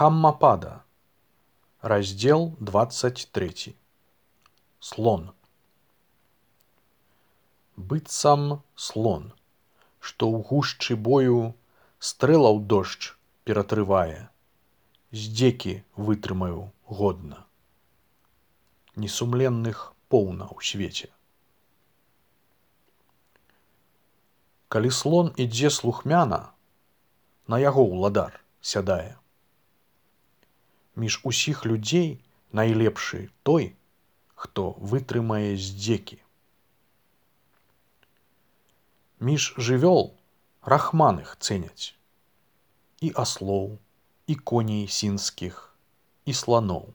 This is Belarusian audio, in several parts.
Дхаммапада. Раздел 23. Слон. Быццам слон, што ў гушчы бою стрэлаў дождж ператрывае, здзекі вытрымаю годна. Несумленных поўна ў свеце. Калі слон ідзе слухмяна, на яго ўладар сядае. Між усіх людзей найлепшы той, хто вытрымае здзекі. Між жывёл рахманых цэняць і аслоў, і коней сінскіх, і сланоў.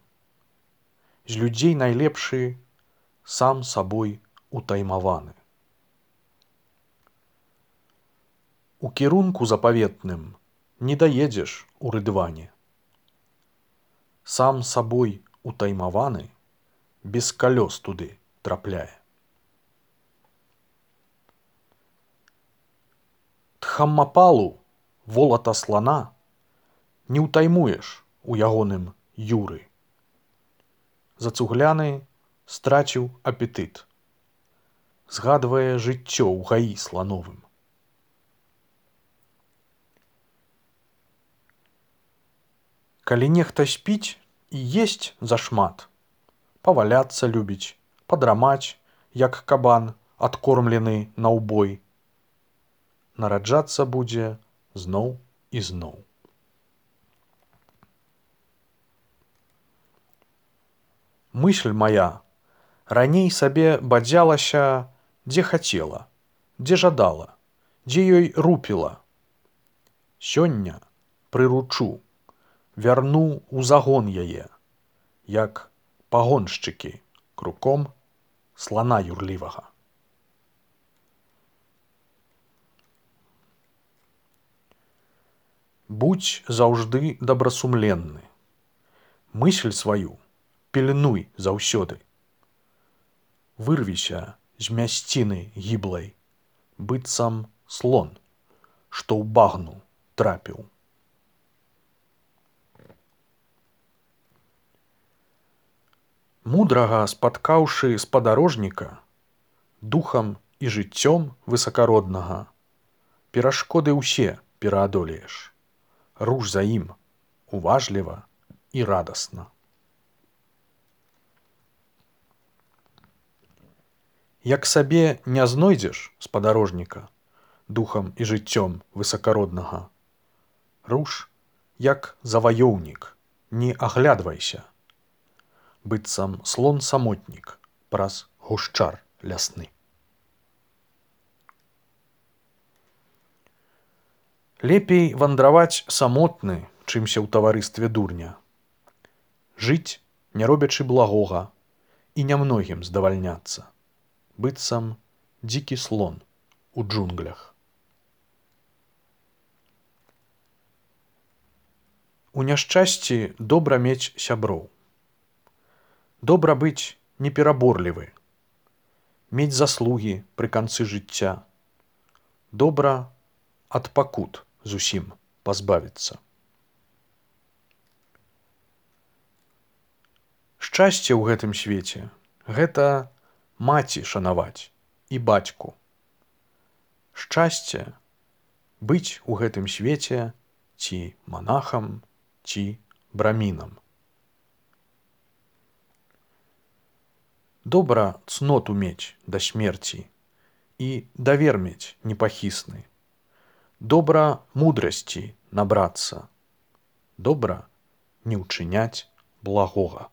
З людзей найлепшы сам сабой утаймаваны. У кірунку запаветным не даедзеш у рыдване. Сам сабой утаймаваны без калёс туды трапляе. Дхаммапалу, волата слана, не ўтаймуеш у ягоным юры. Зацугляны страціў апетыт, згадвае жыццё ў гаі слановым. Калі нехта спіць і есць зашмат, паваляцца любіць, падрамаць, як кабан, адкормлены на ўбой, нараджацца будзе зноў і зноў. Мысль мая раней сабе бадзялася, дзе хацела, дзе жадала, дзе ёй рупіла. Сёння прыручу, вярну ў загон яе, як пагоншчыкі круком слана юрлівага. Будзь заўжды добрасумленны. Мысль сваю пільнуй заўсёды. Вырвіся з мясціны гіблай, быццам слон, што ў багну трапіў. Мудрага спаткаўшы спадарожніка, духам і жыццём высакароднага, перашкоды ўсе пераадолееш. Руш за ім уважліва і радасна. Як сабе не знойдзеш спадарожніка духам і жыццём высакароднага, руш, як заваёўнік, не аглядвайся, быццам слон-самотнік праз гушчар лясны. Лепей вандраваць самотны, чымся ў таварыстве дурня. Жыць, не робячы благога, і нямногім здавальняцца, быццам дзікі слон у джунглях. У няшчасці добра мець сяброў. Добра быць непераборлівы, мець заслугі пры канцы жыцця. Добра ад пакут зусім пазбавіцца. Шчасце ў гэтым свеце – гэта маці шанаваць і бацьку. Шчасце – быць у гэтым свеце ці манахам, ці брамінам. Добра цноту мець да смерці і давер мець непахісны. Добра мудрасці набрацца. Добра не ўчыняць благога.